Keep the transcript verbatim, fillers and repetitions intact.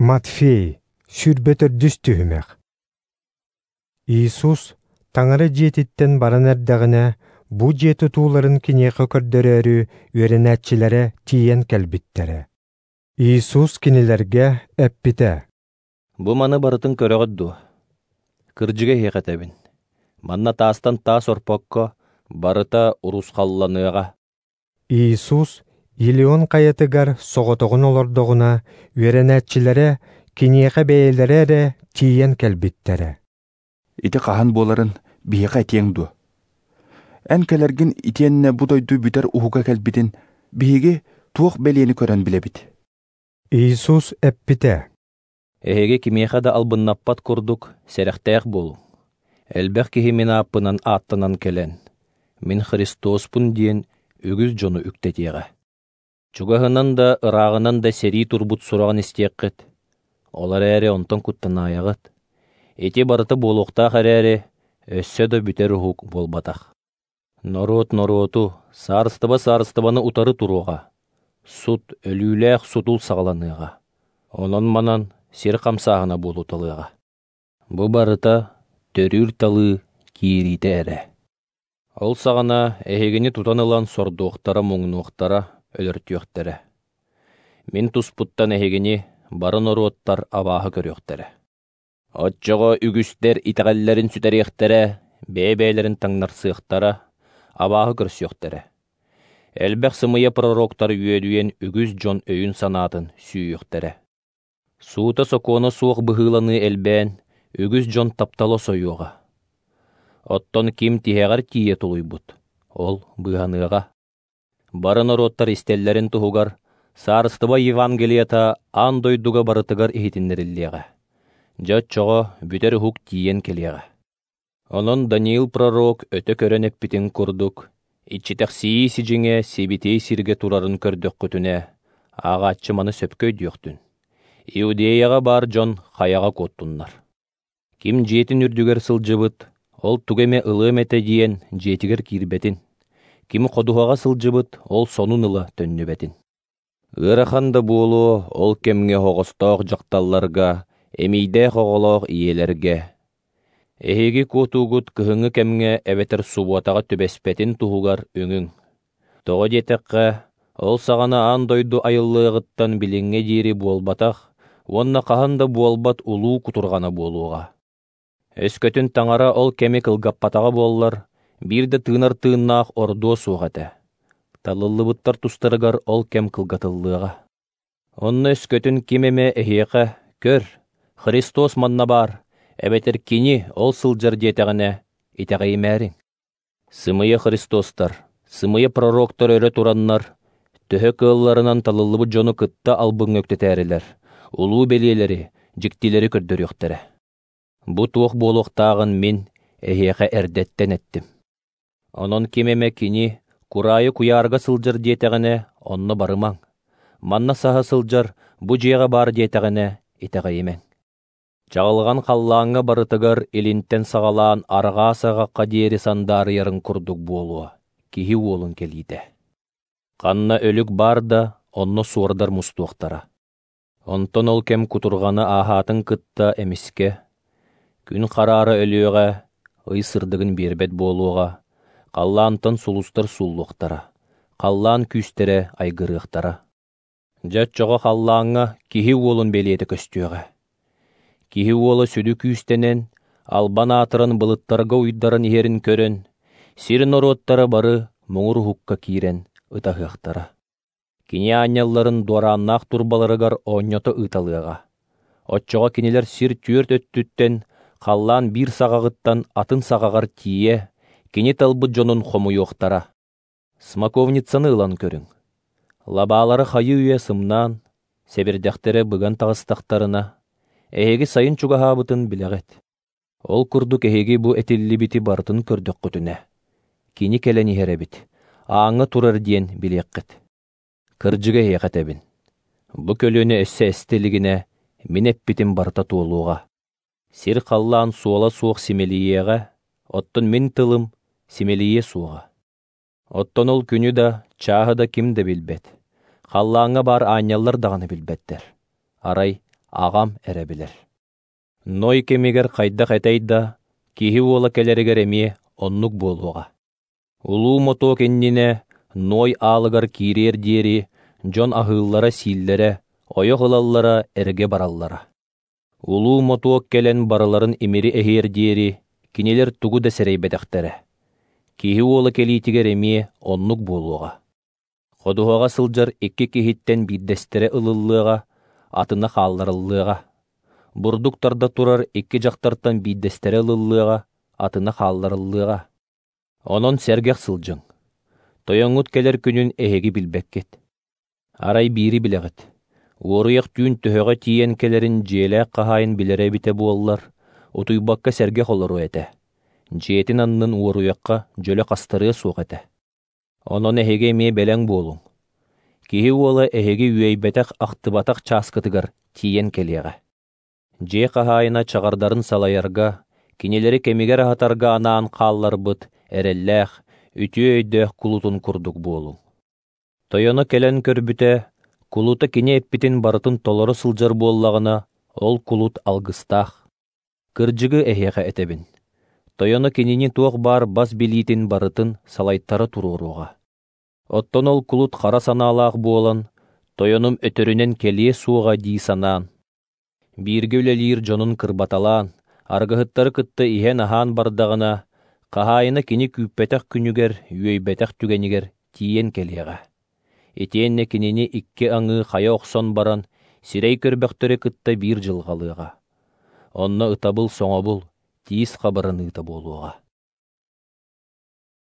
Матфей, сүүрбэ төрдүс түһүмэх. Иисус Таҥара дьиэтиттэн баран эрдэҕинэ, бу дьиэ тутууларын киниэхэ көрдөрөөрү үөрэнээччилэрэ тиийэн кэлбиттэрэ. Иисус кинилэргэ эппитэ: «Бу маны барытын көрөҕүт дуо? Кырдьыга эһиэхэ этэбин, манна таастан таас орпокко барыта урусхалланыаҕа». Иисус Елеон хайатыгар соҕотоҕун олордоҕуна, үөрэнээччилэрэ киниэхэ бэйэлэрэ эрэ тиийэн кэлбиттэрэ. Ити хаһан буоларын биһиэхэ этиэҥ дуо? Эн кэлэргин итиэннэ бу дойду бүтэр уһуга кэлбитин биһиги туох бэлиэни көрөн билэбит? Иисус эппитэ: «Эһиги кимиэхэ да албыннаппат курдук сэрэхтээх буолуҥ. Элбэх киһи мин ааппынан ааттанан кэлэн, мин Христоспун диэн үгүс дьону үктэтиэҕэ. Чугаһынан да ырааҕынан да сэрии турбут сураҕын истиэххит. Ол эрээри онтон куттанаайаҕыт. Ити барыта буолуохтаах эрээри, өссө да бүтэр уһук буолбатах. Норуот норуоту, саарыстыба саарыстыбаны утары туруоҕа. Сут, өлүүлээх сутул саҕаланыаҕа. Онон-манан сир хамсааһына буолуталыаҕа. Бу барыта төрүүр талыы киириитэ эрэ. Ол саҕана эһигини тутан ылан сордуохтара, муҥнуохтара, өлөртүөхтэрэ. Мин туспуттан эһигини бары норуоттар абааһы көрүөхтэрэ. Оччоҕо үгүстэр итэҕэллэрин сүтэриэхтэрэ, бэйэ-бэйэлэрин таҥнарсыахтара, абааһы көрсүөхтэрэ. Элбэх сымыйа пророктар үөдүйэн үгүс дьон өйүн-санаатын сүүйүөхтэрэ. Суута-сокуона суох быһыыланыы элбээн, үгүс дьон таптала сойуоҕа. Оттон ким тиһэҕэр тиийэ тулуйбут, ол быыһаныаҕа. Бары норуоттар истэллэрин туһугар Саарыстыба Евангелиета аан дойдуга барытыгар иһитиннэриллиэҕэ. Дьэ оччоҕо бүтэр уһук тиийэн кэлиэҕэ. Онон Даниил пророк өтө көрөн эппитин курдук, иччитэхсийии сидьиҥэ сибитиэй сиргэ турарын көрдөххүтүнэ, ааҕааччы маны сөпкө өйдүөхтүн. Иудеяҕа баар дьон хайаҕа куоттуннар. Ким дьиэтин үрдүгэр сылдьыбыт, ол тугу эмэ ылыам этэ диэн дьиэтигэр киирбэтин. Ким ходуһаҕа сылдьыбыт, ол сонун ыла төннүбэтин. Ыарахан да буолуо ол кэмҥэ оһоҕостоох дьахталларга, эмиийдээх оҕолоох ийэлэргэ. Эһиги куотуугут кыһыҥҥы кэмҥэ эбэтэр субуотаҕа түбэспэтин туһугар үҥүҥ. Тоҕо диэтэххэ, ол саҕана аан дойду айыллыаҕыттан билиҥҥэ диэри буолбатах уонна хаһан да буолбат улуу кутурҕана буолуоҕа. Өскөтүн Таҥара ол кэми кылгаппатаҕа буоллар, биир да тыынар тыыннаах ордуо суох этэ. Талыллыбыттар тустарыгар ол кэм кылгатыллыаҕа. Онно өскөтүн ким эмэ эһиэхэ «Көр, Христос манна баар, эбэтэр кини ол сылдьар диэтэҕинэ, итэҕэйимээриҥ». Сымыйа Христостар, сымыйа пророктар өрө тураннар, төһө кыалларынан талыллыбыт дьону кытта албыҥҥа үктэтээрилэр, улуу бэлиэлэри, дьиктилэри көрдөрүөхтэрэ. Бу туох буолуохтааҕын мин эһиэхэ эрдэттэн эттим. Онон ким эмэ кини кураайы куйаарга сылдьар диэтэҕинэ, онно барымаҥ. Манна саһа сылдьар, бу дьиэҕэ баар диэтэҕинэ, итэҕэйимэҥ. Чаҕылҕан халлааҥҥа барытыгар илинтэн саҕалаан арҕаа саҕахха диэри сандаарыйарын курдук буолуо, киһи уолун кэлиитэ. Ханна өлүк баар да, онно суордар мустуохтара. Онтон ол кэм кутурҕаны ааһаатын кытта эмискэ, күн хараара өлүөҕэ, ый сырдыгын биэрбэт буолуоҕа, халлаантан сулустар сууллуохтара, халлаан күүстэрэ айгырыахтара. Дьэ оччоҕо халлааҥҥа киһи уолун бэлиэтэ көстүөҕэ. Киһи уола сүдү күүстэнэн, албан аатыран былыттарга уйдаран иһэрин көрөн, сир норуоттара бары муҥур уһукка киирэн ытаһыахтара. Кини аанньалларын дуорааннаах турбаларыгар оонньото ыыталыаҕа. Оччоҕо кинилэр сир түөрт өттүттэн, халлаан биир саҕаҕыттан атын саҕаҕар тиийэ, кини талбыт дьонун хомуйуохтара. Смоковницаны ылан көрүҥ. Лабаалара хайыы-үйэ сымнаан, сэбирдэхтэрэ быган таҕыстахтарына, эһиги сайын чугаһаабытын билэҕит. Ол курдук эһиги бу этиллибити барытын көрдөххүтүнэ, кини кэлэн иһэр эбит, ааҥҥа турар диэн билиэххит. Кырдьыга эһиэхэ этэбин, бу көлүөнэ өссө эстэ илигинэ, мин эппитим барыта туолуоҕа. Сир халлаан суола суох симэлийиэҕэ, оттон мин тылым симэлийиэ суоҕа. Оттон ол күнү да, чааһы да ким да билбэт. Халлааҥҥа баар аанньаллар даҕаны билбэттэр. Арай Аҕам эрэ билэр. Ной кэмигэр хайдах этэй да, киһи уола кэлэригэр эмиэ оннук буолуоҕа. Улуу мотуок иннинэ Ной аалыгар киириэр диэри дьон аһыыллара-сииллэрэ, ойох ылаллара, эргэ бараллара. Улуу мотуок кэлэн барыларын имири эһиэр диэри кинилэр тугу да сэрэйбэтэхтэрэ. Киһи уола кэлиитигэр эмиэ оннук буолуоҕа. Ходуһаҕа сылдьар икки киһиттэн биирдэстэрэ ылыллыаҕа, атына хаалларыллыаҕа. Бурдук тарда турар икки дьахтартан биирдэстэрэ ылыллыаҕа, атына хаалларыллыаҕа. Онон сэргэх сылдьыҥ. Тойоҥҥут кэлэр күнүн эһиги билбэккит. Арай биири билэҕит. Уоруйах түүн төһөҕө тиийэн кэлэрин дьиэлээх хаһаайын билэрэ эбитэ буоллар, утуйбакка сэргэх олоруо этэ. Дьиэтин аннын уоруйахха дьөлө хастарыа суох этэ. Онон эһиги эмиэ бэлэҥ буолуҥ. Киһи уола эһиги үөйбэтэх-ахтыбатах чааскытыгар тиийэн кэлиэҕэ. Дьиэ хаһаайына чаҕардарын салайарга, кинилэри кэмигэр аһатарга анаан хаалларбыт эрэллээх, үтүө өйдөөх кулутун курдук буолуҥ. Тойоно кэлэн көрбүтэ, кулута кини эппитин барытын толоро сылдьар буоллаҕына, ол кулут алгыстаах. Кырдьыгы эһиэхэ этэбин. Тойоно кинини туох баар бас билиитин барытын салайтара туруоруоҕа. Оттон ол кулут хара санаалаах буолан, тойонум өтөрүнэн кэлиэ суоҕа дии санаан, бииргэ үлэлиир дьонун кырбаталаан, аргыһыттары кытта иһэн-аһаан бардаҕына, хаһаайына кини күүппэтэх күнүгэр, үөйбэтэх түгэнигэр тиийэн кэлиэҕэ. Итиэннэ кинини икки аҥыы хайа охсон баран, сирэй көрбөхтөрү кытта биир дьылҕалыаҕа. Онно ытабыл-соҥобул, тиис хабыраныыта буолуоҕа.